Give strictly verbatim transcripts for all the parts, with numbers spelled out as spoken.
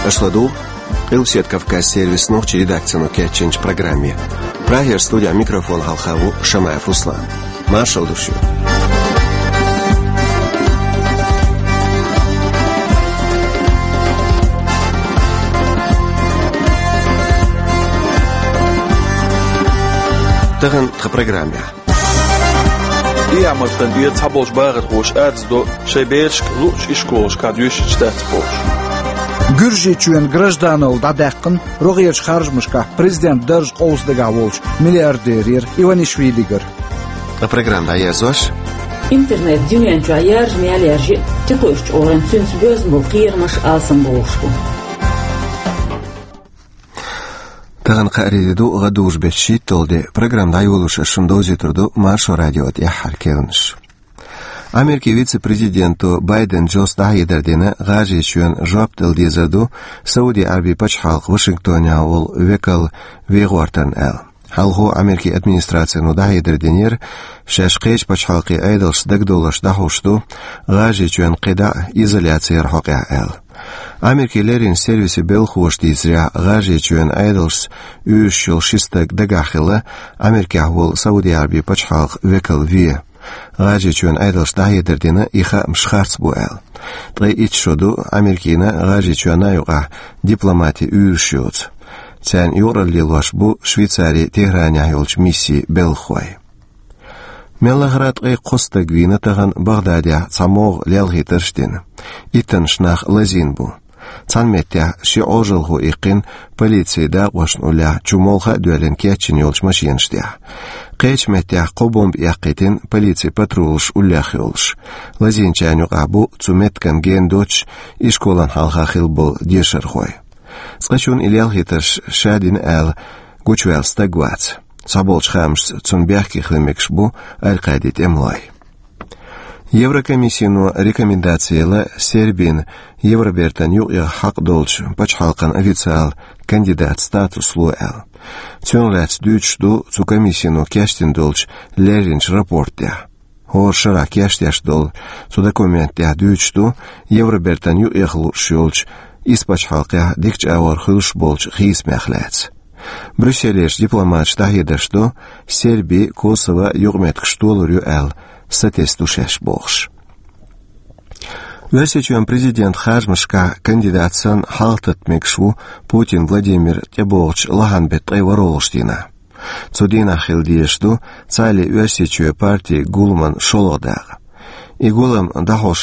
Аша ладугӀу Къилбаседа Кавказ сервисан нохчийн редакцино кечйинчу программе. Прагера студехь микрофон хьалха ву Шамаев Руслан. Маршалла ду шуьга. Тахана тхан программехь. ТӀехьа-маттана тӀера цхьаболчу бахархоша арз до, шайн берашка луъучу ишколашкахь доьшуш дац бохуш. Гуьржийчоьнан гражданал дӀадаьккхина рогӀерчу харжамашкахь президентан дарж къовса дагахь волчу миллиардерера Иванишвилигара. Ткъа программа дӀаерзош. Интернет дуьнен чохь яржа мел яржа, тикойш чӀогӀаран цуьнца боьзна болу кхерамаш алсам бохуш бу. Тахана кхаарин де ду, гӀадужу беттан шийтталгӀа де. Программа дӀайолош ас шуна довзуьйтур ду Маршо радион тӀаьххьара керланаш. Америкин вице-президенто Байден Джос дӀахьедар дина, ГӀажарийчоьнна жоп дала дезар ду Сауди-Ӏаьрбийн пачхьалкхан Вашингтонехь волу векал вен гӀортарна аьлла. Хьалхо Америкин администрацино дӀахьедар динера, шаьш кхечу пачхьалкхийн Ӏедалшца дагадовларш дӀахьуш ду ГӀажарийчоьнна кхидӀа а изоляци яран хьокъехь аьлла. Америкин леррина сервисан белхахоша дийцарехь, ГӀажарийчоьнан Ӏедалшца уьйраш йолу ши стаг дагахь хилла Америкехь волу Сауди-Ӏаьрбийн пачхьалкхан векал вен. ГӀажарийчоьнан Ӏедалша дӀахьедар дина, и хаамаш харц бу аьлла. Ткъе итт шо ду Америкина а, ГӀажарийчоьнна а юкъахь дипломатийн уьйраш йоцу. Царна юкъаралла лелош бу Швейцарин ТехӀранехь йолчу миссин белхахой. Мел лахара ткъе кхо стаг вийна тахана БагӀдадехь, цхьа могӀа лелхийтарш а дина. Иттаннаш нах лазийна бу. Цхьана меттехь ши Ӏожалхо иккхина полицин дакъошна уллехь, чу молха а доьллина кечйина йолчу машенаш тӀехь. Кхечу меттехь кхо бомба эккхийтина полицин патрулаш уллех йолуш. Лазийначарна юкъахь бу цу меттиган гена доцуш ишколан хьалха хилла болу дешархой. Цкъачунна и лелхийтарш ша дина аьлла гучуваьлла стаг вац. Цхьаболчу хаамашца, цунна бехке хила мегаш бу Аль-Къаидин тӀемалой. Еврокомиссино рекомендаци елла Сербина Евробертан юкъаяха хьакъ долчу пачхьалкхан официалан кандидатан статус ло аьлла. Цунах лаьцна дуьйцуш ду цу комиссино кечдина долчу лерринчу рапорт тӀехь. ХӀора шарахь кечдеш долу цу документ тӀехь дуьйцуш ду Евробертан юкъаяха лууш йолчу исс пачхьалкхехь дикачу агӀор хуьлуш болчу хийцамех лаьцна. Брюсселерчу дипломаташа дӀахьедарш до, Серби, Косово юкъаметтигаш толур ю аьлла, сатесна ду шаьш бохуш. Оьрсийчоьнан президентан харжамашкахь кандидат санна хьалхататта мегаш ву Путин Владимир тӀебогӀучу лахьан беттан ткъе ворхӀалгӀачу дийнахь. Цу дийнахь хила дезаш ду цхьаалле Оьрсийчоь партин гуламан шолгӀа дакъа. И гулам дӀахьош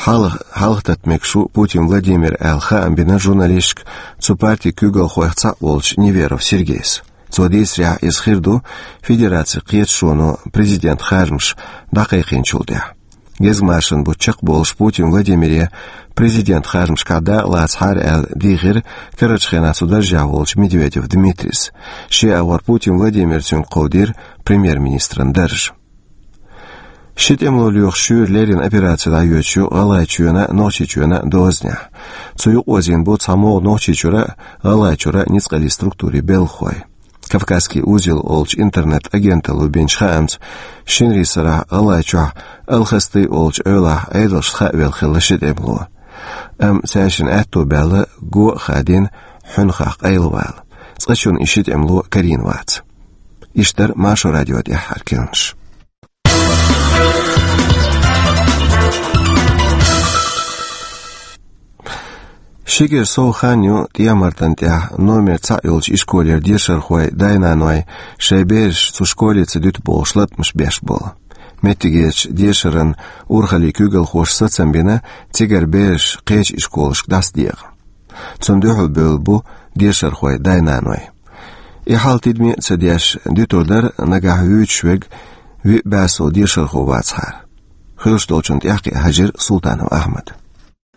хьалха-, хьалхататта мегаш ву Путин Владимир аьлла хаам бина журналисташка цу партин куьйгалхойх цхьаъ волчу Неверов Сергейс. Цо дийцарехь, иза хир ду Федерацин кхеташоно президентан харжамаш дӀакхайкхийначул тӀаьхьа. Гезгмашин бутт чекхболуш Путин Владимире президентан харжамашкахь дакъа лацахьара аьлла дийхира карарчу хенахь цу даржехь волчу Медведев Дмитрийс. Шен агӀор Путин Владимира цуьнга кховдийра премьер-министран дарж. Ши тӀемало лоьхучу шуьйра леррина операци дӀайоьдуш ю ГӀалгӀайчоьнан а, Нохчийчоьнан а дозанехь. Цу юкъа озийна бу цхьа могӀа Нохчийчуьра а, ГӀалгӀайчуьра а ницкъаллин структурийн белхахой. «Кавказский узел» олучу интернет-агенталло бинчу хаамца, шинарин сарахь ГӀалгӀайчохь Алхасты олучу эвлахь Ӏедалшна хаавелла хилла ши тӀемало. Амма цаьршинна аьтто баьлла го а хадийна, хьуьнхахь къайлавала. Цкъачунна и ши тӀемало карийна вац. Иштта дара Маршо радион тӀаьххьара керланаш. Шегара сов хан ю ТӀехьа-Мартан тӀехь номер цхьаъ йолчу ишколера дешархой, дай-наной шайн бераш цу школе ца дуьту бохуш латкъамаш беш болу. Меттигерчу дешаран урхаллин куьйгалхоша сацам бина цигара бераш кхечу ишколашка дӀасадекъа. Цунна дуьхьал бевлла бу дешархой, дай-наной. И хьал тидаме а ца деш, дуьтур дара нагахь вуьйцуш верг виъ бӀе сов дешархо вацахьара. Хуьлуш долчунна тӀаьхьакхиа хьаьжира Султанов Ахьмада.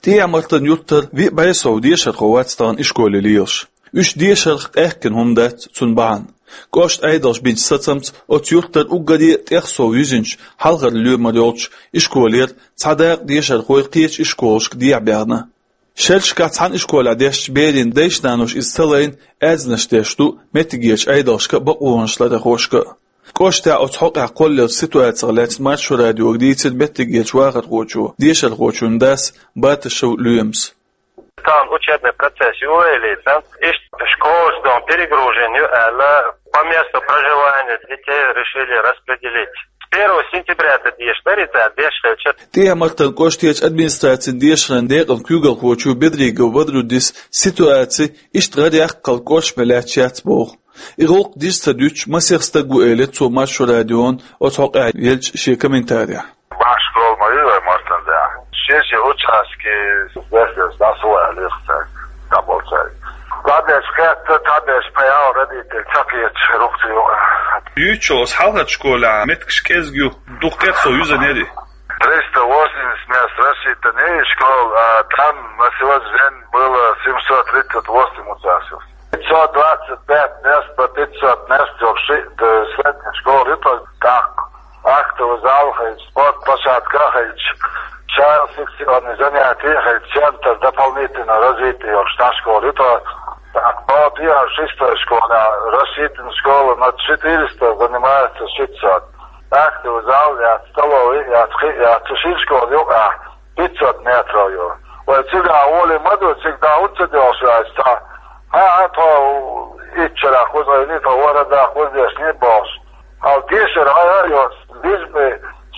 ТӀехьа-Мартан юьртара виъ бӀе сов дешархо вац тахана ишколе лелаш. Уьш дешарх къаьхкина хӀума дац цунна бахьана. КӀоштан Ӏедалша бинчу сацамца оцу юьртара уггаре а тӀех сов юьззинчу хьалхара лоьмара йолчу ишколера цхьа дакъа дешархой кхечу ишколашка дехьабаьхна. Шерашкахь цхьана ишколехь дешначу берийн дайша-наноша иза ца лайна, аьрзнаш деш ду меттигерчу Ӏедалшка а, бакъонашларъярхошка а. КӀоштехь оцу хьокъехь кхоллаеллачу ситуацих лаьцна Маршо радиога дийцира меттигерчу вахархочо дешархочун дас Батышев Лоьмас. Цхьана учебный процесс ю или цхьана иштта школаш дом перегружен ю аьлла, по месту проживания детей решили распределить. С первого сентября это деш дарица, деш хилча. ТӀехьа-Мартан кӀоштарчу администрацин дешаран декъан куьйгалхочо Бедригов Бадрудис ситуаци иштта гӀаръяккхал кӀоршаме лаьтташ яц боху. И гӀуллакх дижа ца дуьтуш масех стаг ву, элира цо Маршо радион оцу хьокъехь еллачу шен комментарехь. Бахьаш школа ма ю вай Мартан дехьа. Шен-шен участке бехкаш дӀасу аьлла, цаьрга дӀаболу цаьрга. Цхьаберш кхетта, цхьаберш паял родитель ца кхеташ рухцу ю. Юьйцучул оцу хьалхарчу школехь меттигаш кӀезиг ю, дукха тӀе а со юьзанери. Триста восемьдесят мест рассчитанный школа, а там на сегодняшний день было семьсот тридцать восемь учащихся. Пятьсот двадцать пять мест по пятьсот мест вообще, да, средняя школа, это так. Актовый зал хилча, спортплощадка хилча, шайн секционный занятия хилча, центр дополнительного развития йолуш школа ю тхо. Так, по шестой школе рассчитана школа на четыреста, занимается шестьсот. Актовый зал яц, столовый яц, кхин яц, цу шина школа юкъахь пятьсот метров ю. Вай цигахь гӀоле ма ду, цига дӀа хӀунда ца доьлхуш вац цхьа? ХӀан, тхо итт шарахь кхузахь, тхо ворхӀ шарахь кхузахь дешнийн бохуш. Хьал дешар хьайгара йоцу, бизбе,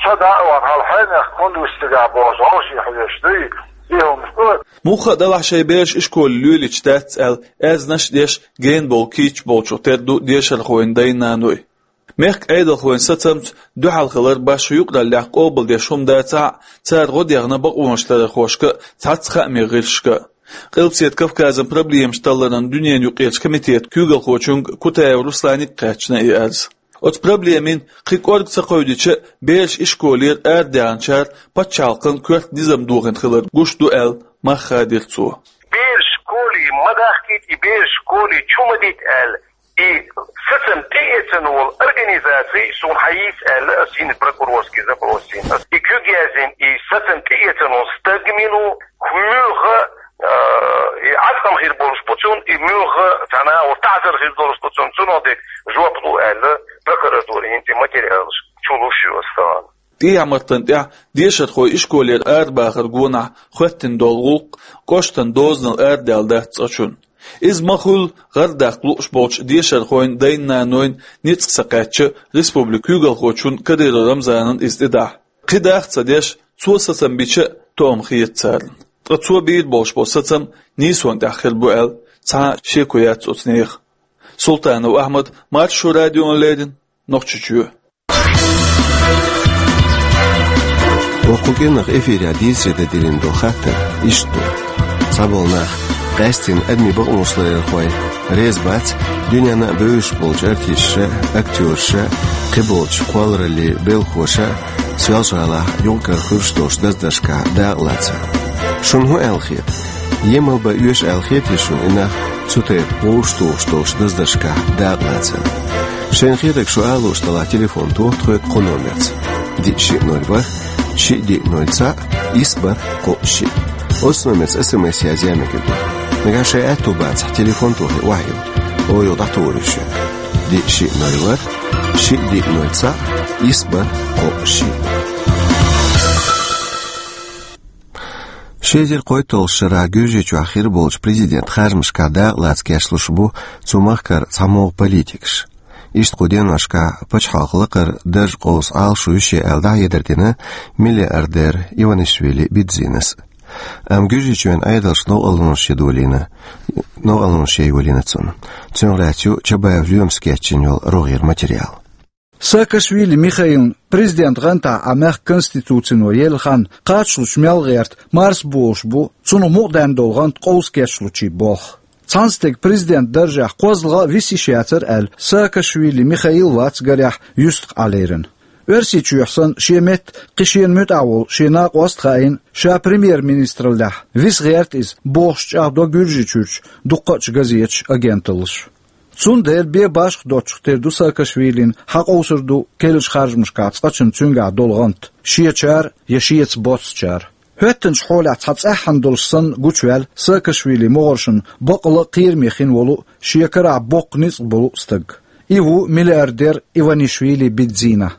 со дӀа а вахана, хьал хьенех хӀунда вуьсу цигахь бохуш, гӀовший хьоьжуш дуй, и хӀумаш ду. Муха а делахь шайн бераш ишколе лелийча дац аьлла, аьзнаш а деш, гена бовла кийча болчух тера ду дешархойн дай-наной. Мехкан Ӏедалхойн сацамца дуьхьал хилар башха юкъараллех къобалдеш хӀума дацахь а, цара гӀо дехна бакъонаш ларархошка а, цхьацца хаамийн гӀирсашка а. Къилбаседа Кавказан проблемаш талларан дуьненан юкъарчу комитетан куьйгалхочуьнга Кутаев Русланга а кхаьчна и арз. Оцу проблемин кхин кӀорга ца кхевдича а, бераш ишколера арадаьхначара пачхьалкхан коьрта низам дохийна хилар гуш ду аьлла, мах хадийра цо. Бераш школе ма дахкийта, и бераш школе чу ма дийта аьлла, и сацам тӀеэцна волу организаци суна хьайийца аьлла, ас йина прокурорский запрос йина. Ас и куьг яздина, и сацам тӀеэцна волу стаг мила ву, муьлха, а, и Ӏаткъам хир болуш бу цунна, и муьлха цхьана а волу таӀзар хир долуш бу цунна, цунах дерг жоп лу аьлла, прокуратура йина тӀе материалаш чу луш ю ас тахана. ТӀехьа-Мартан тӀехь дешархой ишколера арабахар гонахь хӀоьттина долу гӀуллакх кӀоштан дозанал арадаьлла дац цкъачунна. Иза ма-хуьллу гӀардаккха лууш болчу дешархойн дай-нанойн ницкъ ца кхаьчча, республикан куьйгалхочун Кадыров Рамзанан иза тӀедахь. Кхин даха ца деш, цо сацам бича а тоам хета царна. Ткъа цо бийр болуш болу сацам нийсонан тӀехь хир бу аьлла, цхьа а шеко яц оцу нехан. Султанов Ахьмад, Маршо радиона леррина, Нохчийчоь. Вокху кӀирнах эфирехь дийцаре дан диллина долу хаттар иштта ду. Цхьаболу нах, къаьсттина адамийн бакъонаш ларъярхой, реза бац дуьненна а бевзаш болчу артисташа, актёраша, кхиболчу кхоллараллин белхахоша Соьлжа-ГӀалахь юкъ-кара хуьлуш долчу даздаршкахь дакъалацар. Шуна хӀун аьлла хета? Емал бан оьшу аьлла хетий шуна и нах цу тайпа вовшахтухуш долчу даздаршкахь дакъалацар? Шайна хетарг шу ала лууш делахь, телефон тоха тхоьга кху номерца: диъ шиъ ноль ворхӀ, шиъ диъ ноль цхьаъ, исс бархӀ кхоъ шиъ. Оцу номерца эс эм эс язъян мегар ду. Нагахь шайн аьтто бацахь, телефон тохий охьайилла. Оха юха дӀатухур ю шуьга. Диъ шиъ ноль ворхӀ, шиъ диъ ноль цхьаъ, исс бархӀ кхоъ шиъ. Ши эзар кхойтталгӀачу шарахь Гуьржийчохь хир болчу президентан харжамашкахь дакъалаца кечлуш бу цу махкара цхьамогӀа политикаш. Иштта кху деношкахь пачхьалкхан лакхара дарж къовса Ӏалашо ю шен аьлла дӀахьедар дина миллиардер Иванишвили Бидзинас. Амма Гуьржийчоьнан Ӏедалша новкъарлонаш ян долийна, новкъарлонаш ян йолийна цунна. Цунах лаьцна ю Чабаев Лоьмас кечйина йолу рогӀера материал. Саакашвили Михаилна президентан гӀантахь Ӏа мехкан конституцино елла хан кхачалучу мел гӀерта марсаболуш бу цунах мукъадаьнна долу гӀант къовса кечлучийн болх. Цхьана стеган президентан даржехь кхозлагӀа а виса йиш яцара аьлла, Саакашвили Михаил вац гарехь юьстах Ӏа лерина. Оьрсийчохь санна шен метта кхин шена муьтӀахь волу шен накъост а хаийна, ша премьер-министраллехь виса гӀерта иза бохуш чӀагӀдо Гуьржийчуьрчу дуккхачу газеташа, агенталлаша. Цундела бен башха доцчух тера ду Саакашвилина хьакъовсур ду керлачу харжамашкахь цкъачунна цуьнгахь долу гӀант, шечара я шеца боццучара. ХӀоьттинчу хьолехь цхьа цӀеххьана долуш санна гучуваьлла Саакашвилин могӀаршна бакъала а кхераме хин волу а, шен карахь боккха ницкъ болу а стаг. И ву миллиардер Иванишвили Бидзина.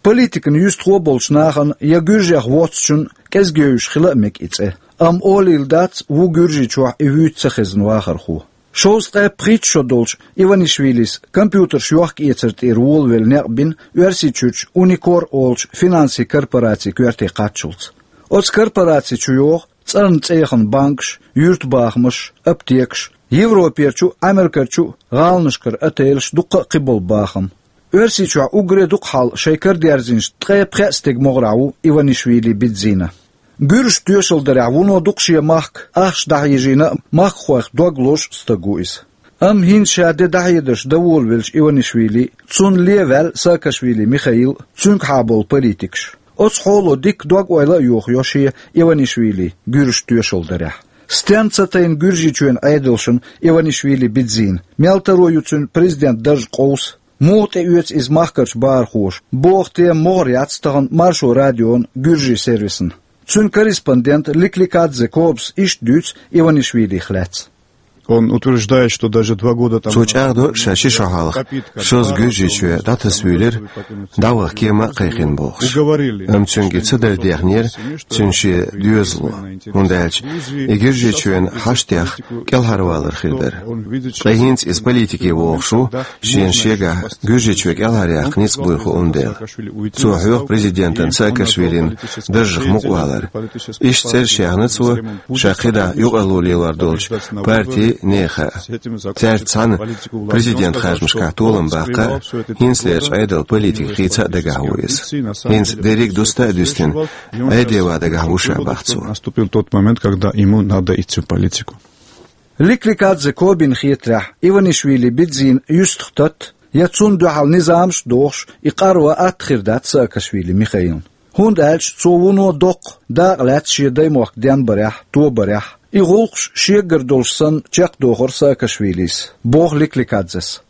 Политикан юьстахо а болчу нахана я гуьржех воццучунна кӀезигевзаш хила а мега и цӀе. Амма олийла дац, ву Гуьржийчохь и вуьйцу ца хезна вахархо. Шовзткъе пхийтта шо долчу Иванишвилис компьютерш йохка-эцар тӀера волавелла некъ бина Оьрсийчуьрчу Unicor олучу финансийн корпорацин коьрте кхаччалц. Оцу корпораци чу йогӀу цӀарна цӀе яхана банкаш, юьртабахамаш, аптекаш, Европерчу а, Америкерчу а гӀаланашкара отелаш, дуккха а кхиболу бахам. Оьрсийчохь уггаре дукха хьал шайн кара дерзийначу ткъе пхеа стеган могӀарехь ву Иванишвили Бидзина. Гуьржаша тоьшалла дарехь, вуно дукха шен махка ахча дӀахьежийна а, махкахойх дог лозуш а стаг ву иза. Амма хӀинца ша де дӀахьедарш дан волавеллачу Иванишвили, цунна лен ваьлла Саакашвили Михаил, цуьнгахьа болу политикаш. Оцу хьоло дикка дог-ойла а йохайо шен, Иванишвилин, гуьржаша тоьшалла дарехь. Стенна ца тайна Гуьржийчоьнан Ӏедалшна Иванишвили Бидзина, мел таро ю цуьнан президентан даржа къовса, муха тӀеоьцу иза махкарчу бахархоша, боху тема могӀара яц тахана Маршо радион гуьржийн сервисна. Цуьнан корреспондента Ликликадзе Кобас иштта дуьйцу Иванишвилих лаьцна. Он утверждает, что даже два года тому Цо назад чӀагӀдо, ша ши шо хьалха шозза Гуьржийчоь дӀатасавуьйлира, дӀаваха кема а кхайкхина бохуш. Уговорили. Амма цуьнга и ца дара дехнера цуьнан шен доьзало, хӀунда аьлча и Гуьржийчоьнан хьаштех кӀелхьарвалар хир дара. Ткъа хӀинца иза политике вогӀуш ву, шена шегахь Гуьржийчоь кӀелхьаръяккха ницкъ буй хууна дела. Цо хьоьху президентан Саакашвилин даржах мукъавалар. Иштта цӀераш яьхна цо ша кхидӀа юкъарло лелор долчу партийн, нехан а. Цаьрца цхьаьна президентан харжамашкахь толам баккха а, хӀинцалерчу Ӏедалан политика хийца а дагахь ву иза. ХӀинца дерриг а дуста а дуьстина, Ӏедалан дагахь ву ша, боху цо. Наступил тот момент, когда ему надо идти в политику. Ликликадзе Кобина хетарехь, Иванишвили Бидзина юьстах татта, я цунна дуьхьал низамаш а дохуш, и къарван атта хир дац Саакашвили Михаилна. ХӀунда аьлча цо вуно доккха дакъа лаьцна шен даймохк денбарехь, тобарехь. И гӀуллакхаш шегара долуш санна чекхдохура Саакашвилис, боху Ликликадзес.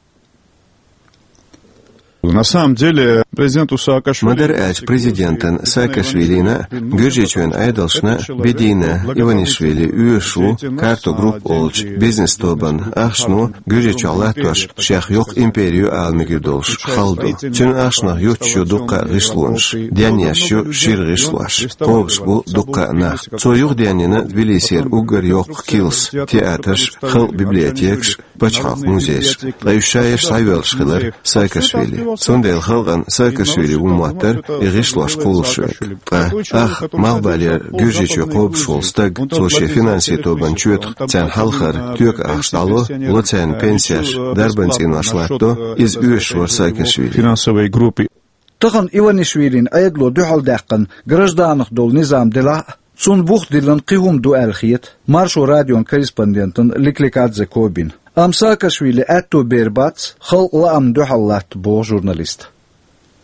На самом деле, президенту Саакашвили Ма-дарра аьлча, президентана Саакашвилина а, Гуьржийчоьнан Ӏедалшна а Бидзина Иванишвили оьшуш ву «Карто Групп» олучу бизнес-тобанна ахчано Гуьржийчохь латтош шех йоккха империю ала мегар долуш хала ду. Цуьнан ахчанах юттуш ю дуккха а гӀишлонаш, денъеш ю шира гӀишлош, кхобуш бу дуккха а нах. Цо юхаденйина Тбилисера уггар йоккха килс, театрш, халкъан библиотекаш, пачхьалкхан музейш. Ткъа уьш ша ерш схьайоьллуш хилира Саакашвили. Цундела халкъана Саакашвили ву моттара и гӀишлош кхуллуш верг. Ткъа ах, малхбалера Гуьржийчоь кхобуш волу стаг, цо шен финансийн тобанна чоьтах царна хьалхара тоька ахча дӀало, ло царна пенсеш, дарбан цӀенош латтадо, иза оьшуш вара Саакашвили. Финансовой группы. Тахана Иванишвилина Ӏедало дуьхьалдаьккхина гражданах долу низам делахь а, цунна бух диллина кхин хӀума ду аьлла хета Маршо радион корреспондентана Ликликадзе Кобина. Амма Саакашвилин аьтто бер бац халкъан лаамна дуьхьал латта, боху журналиста.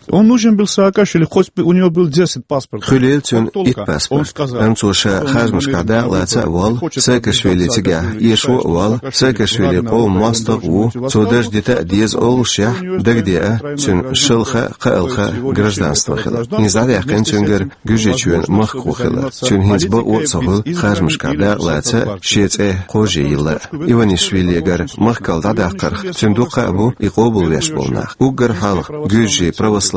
Он нужен был Саакашвили, хоть бы у него был десять паспортов. Хуьлийла цуьнан итт паспорт. Амма цо ша харжамашкахь дакъа лаца а воллу, Саакашвили цигахь эшо а воллу, Саакашвили къоман мостагӀ а ву, цо дарж дита а деза оллушехь, дагадеа цуьнан шалха а, кхоалгӀа а гражданство хилар. ХӀинца дӀадаьккхина цуьнгара Гуьржийчоьнан махкахо хилар. Цуьнан хӀинца бакъо а ца хуьлу харжамашкахь дакъа лаца а, шен цӀе кхожа йилла а. Иванишвилигара махкал дӀадаккхарх цуьнан дуккха а бу и къобалвеш болу нах. Уггар хьалха гуьржийн православин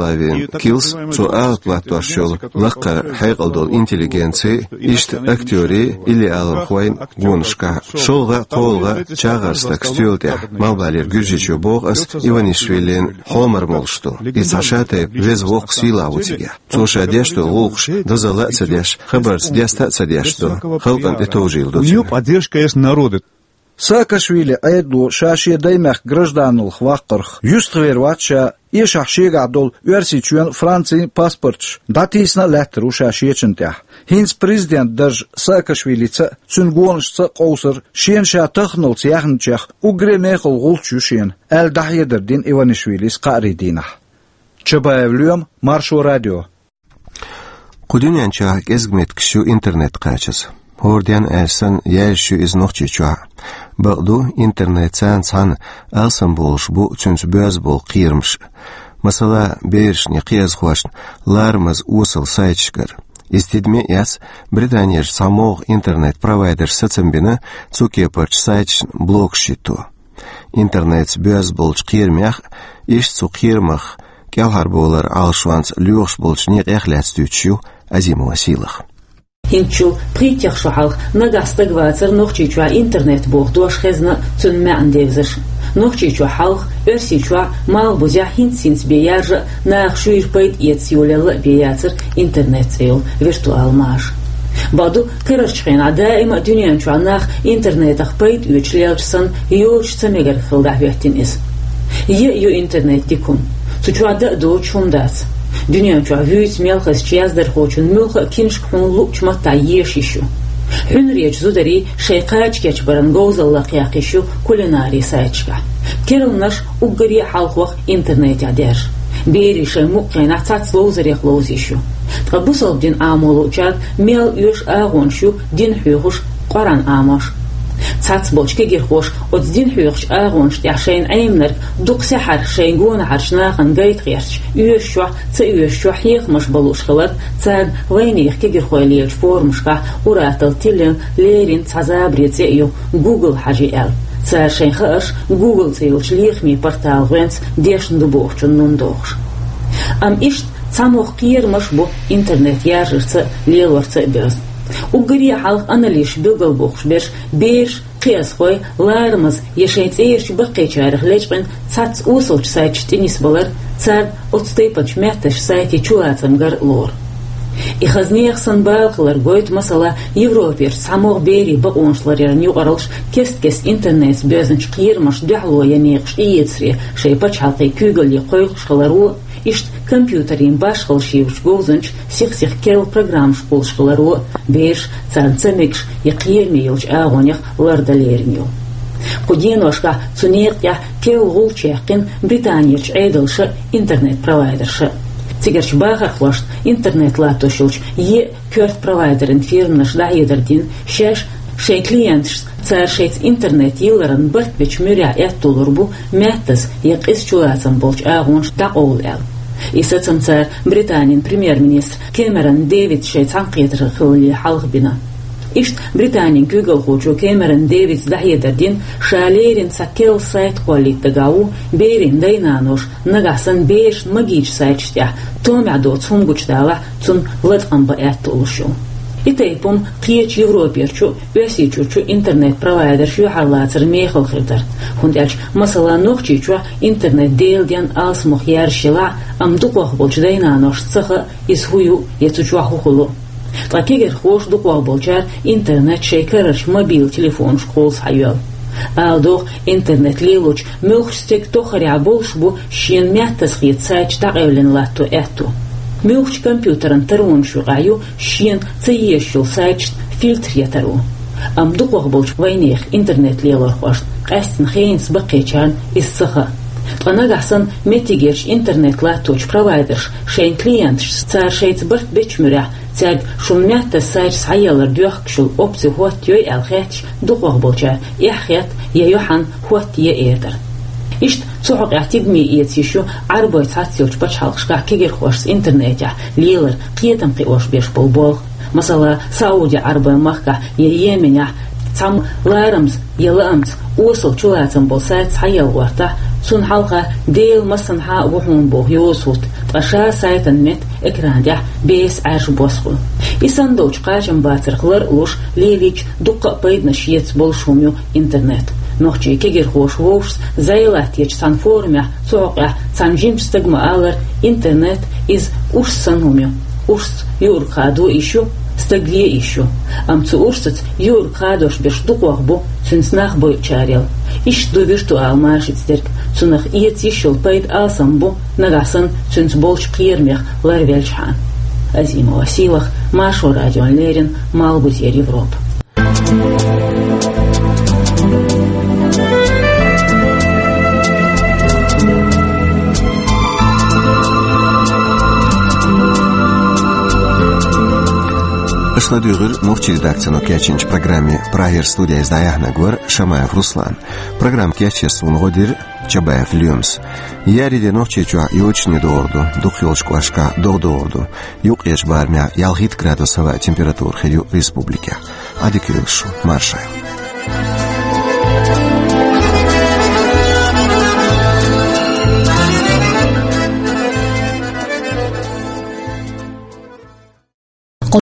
килс, цо алапа латтош йолу лакхара хьекъал долу интеллигенци, иштта актёри, илли алархойн гонашкахь, шолгӀа а, кхоалгӀа а чагӀар стаг стоьла тӀехь, малхбалера Гуьржийчоь, боху ас, Иванишвилина хьомар молуш ду. Иза цхьа шатайпа веза-воккха сийлахь ву цигахь. Цо ша деш долу гӀуллакхаш дозалла а ца деш, хабарца деста а ца деш ду, халкъана тӀетовжийла ду цуьнан. У него поддержка есть народа. Саакашвили Ӏедало ша шен даймехкан гражданлах ваккхарх юьстах вер вац ша, эшахь шегахь долу Оьрсийчоьнан, Францин паспорташ дӀатийсина а лаьттар ву ша шечун тӀехь. ХӀинца президент дарж Саакашвилица а, цуьнан гонашца а къовсар шена ша таханалц яьхначех уггаре а мехала гӀулч ю шена, аьлла дӀахьедар дина Иванишвилис кхаарин дийнахь. Чабаев Лоьма, Маршо радио. Кху дуьнен чохь кӀезиг меттигаш ю интернет кхачаза. ХӀора денна аьлча санна, яьржаш ю иза Нохчийчохь. Бакъду, интернет царна цхьаьна алсам болуш бу цуьнца боьзна болу кхерамаш. Масала, берашна я кхиазхошна ларамаза осал сайташкара. Иза тидаме а эцна, Британерчу цхьа могӀа интернет-провайдерша сацам бина цу кепарчу сайташна блокаш йитто. Интернетца боьзна болчу кхерамех а, иштта цу кхерамах кӀелхьарбовлар Ӏалашонца лоьхуш болчу некъех а лаьцна дуьйцуш ю Азимова Сийлаха. ХӀинцачул пхийттех шу хьалха нагахь стаг вацар Нохчийчохь интернет боху дош хезна а, цуьнан маьӀна девзаш. Нохчийчохь хьалха, Оьрсийчохь, Малхбузехь хӀинц-хӀинца бен яржа а, наха шуьйра пайда эца йолаелла а бен яцара интернет цӀе йолу виртуал маша. Бакъду, карарчу хенахь даима а дуьнен чохь нах интернетах пайда оьцуш лелча санна, йоцуш ца мегар хилла дӀахӀоьттина иза. Е а ю интернет дика хӀума. Цу чохь дан а доцуш хӀума дац. Дуьнен чохь вуьйцу мел хазачу яздархочун муьлхха а киншка хьуна луъучу маттахь еша йиш ю. Хьуьнаречу зударийн шайн кхача кечбаран говзалла лакхъяккха йиш ю кулинарийн сайташкахь. Керланаш уггаре а хьалхох интернетехь даьржа. Берийн шайн мукъа хенахь цхьацца ловзарех ловза йиш ю. Ткъа бусалба дин Ӏамо луучарна мел оьшу агӀонаш ю дин хьоьхуш, Къуръан Ӏамош. Цхьацца болчу кегирхоша оцу дин хьоьхучу агӀонаш тӀехь шайна Ӏеминарг дукха сехьарх шайн гонахьарчу нахана гайта гӀерташ, оьшучохь, ца оьшучохь хьехамаш бан лууш хиларх, царна вайнехан кегирхой лелачу форумашкахь ур-атталла тиллина леррина цхьа забаре цӀе а ю Google хьажи аьлла. Цара шайн хаарш Google цӀе йолчу лехамийн порталан гӀоьнца дешна ду бохучун нум дохуш. Амма иштта цхьамогӀа кхерамаш а бу интернет яржарца а, лелорца а боьзна. Уггаре а хьалха аналитикаша билгалбохуш берш, бераш, кхиазхой ларамаза я шайн цӀерачу баккхийчарах лечкъина цхьацца осалчу сайташна тӀе нисбалар, царна оцу тайпанчу меттанашца сайтийн чулацам гар а лору. И хаза нехан санна бала хилар гойту, масала, Европерчу цхьамогӀа берийн бакъонаш ларъяран юкъараллаш кест-кеста интернетца боьзначу кхерамашна дуьхьало ян некъаш тӀеэцаре шайн пачхьалкхийн куьйгалле кхойкхуш хиларо, иштта компьютерийн башхалла шийлачу говзанчаша сих-сиха керла программаш кхуллуш хиларо а, бераш царна ца мегаш я кхераме йолчу агӀонех лардан лерина ю. Кху деношкахь цу некъа тӀехь керла гӀулч яьккхина Британерчу Ӏедалша а, интернет-провайдерша а. Цигарчу бахархошна интернет латтош йолчу е а коьрта провайдерийн фирманаша дӀахьедар дина, шаьш шайн клиенташца цара шайца интернет йилларан барт бечу муьрехь аьтто лур бу маьттаза я къиза чулацам болчу агӀонаш дӀакъовла аьлла. И сацам цара Британин премьер-министра Кэмерон Дэвида шайн цхьаьнакхетар хиллале хьалха бина. Иштта Британин куьйгалхочо Кэмерон Дэвида дӀахьедар дина, ша леррина цхьа керла сайт кхоллийта дагахь ву, берийн дай-наноша нагахь санна берашна магийчу сайташна тӀехь томехь доцу хӀума гучудалахь, цунна латкъам бан аьтто луш ю. И тайпа хӀума кхечу Европерчу а, Оьрсийчуьрчу а интернет-провайдерш юьхьарлацаран мехала хир дара, хӀунда аьлча, масала, Нохчийчохь интернет Делан денна алсамох яржаш елахь а, амма дукхох болчу дай-наношна ца хаьа, иза хӀун ю я цу чохь хӀун хуьлу. Ткъа кегирхоша, дукхох болчара интернет шайн карарчу мобил телефонашка кхолла схьайоьллу. Ала догӀу, интернет лелочу муьлххачу стеган тоххарехь болуш бу шена маьттаза хета сайташ дӀакъевлина латто аьтто. Муьлххачу компьютеран таронаш юкъахь ю шена ца езаш йолу сайташна фильтр ян таро. Амма дукхох болчу вайнехан интернет лелорхошна, къаьсттина хенца баккхийчарна, иза ца хаьа. Ткъа нагахь санна меттигерчу интернет латточу провайдерша шайн клиенташца цара шайца барт бечу муьрехь, цаьрга шуна маьттаза сайташ схьаеллар доьхкуш йолу опци хӀоттайой аьлла хетташ, дукхох болчара эхь хетта я юьхьанна хӀоттае эр дара. Иштта цу хьокъехь тидаме эца йиш ю Ӏарбойн цхьацца йолчу пачхьалкхашкахь кегирхошца интернетехь лелар кхетам кхиош беш болу болх. Масала, Сауди-Ӏарбойн махкахь я Йеменехь цхьамма ларамаза я лаамца осал чулацам болу сайт схьаелла гӀортахь, цунна хьалха Делан массанхьа а ву хьуна боху йоза хӀутту, ткъа ша сайтан метта экран тӀехь беса Ӏаьржа бос хуьлу. И санна долчу кхачамбацарх лар а луш, лелийча дуккха а пайданаш еза болуш хӀума ю интернет. Нохчийн кегирхоша вовшашца зӀе латточу цхьана форумехь цу хьокъехь цхьана жимачу стага ма-аллара, интернет иза урс санна хӀума ю. Урсца юург хадо йиш ю, стаг ле йиш ю. Амма цу урсаца юург хадош берш дукхох бу, цуьнца нах бойъучарел. Иштта ду виртуал машица дерг, цунах эца йиш йолу пайда алсам бу, нагахь санна цуьнца болчу кхерамех ларвелчхьана. Азимова Сийлаха, Маршо радиона леррина, Малхбузера Европа. Аша ладуьйгӀира нохчийн редакцино кечйинчу программе. Прагера студехь иза дӀаяьхьнарг вара Шамаев Руслан. Программа кечъеш суна гӀо дира Чабаев Лемас. Еарин де Нохчийчохь йочане догӀур ду, дукхахйолчу кӀошташкахь догӀа догӀур ду. Юккъерчу барамехь ялхитта градус хӀаваан температура хир ю республикехь. Ӏадика йойла шу, марша Ӏойла.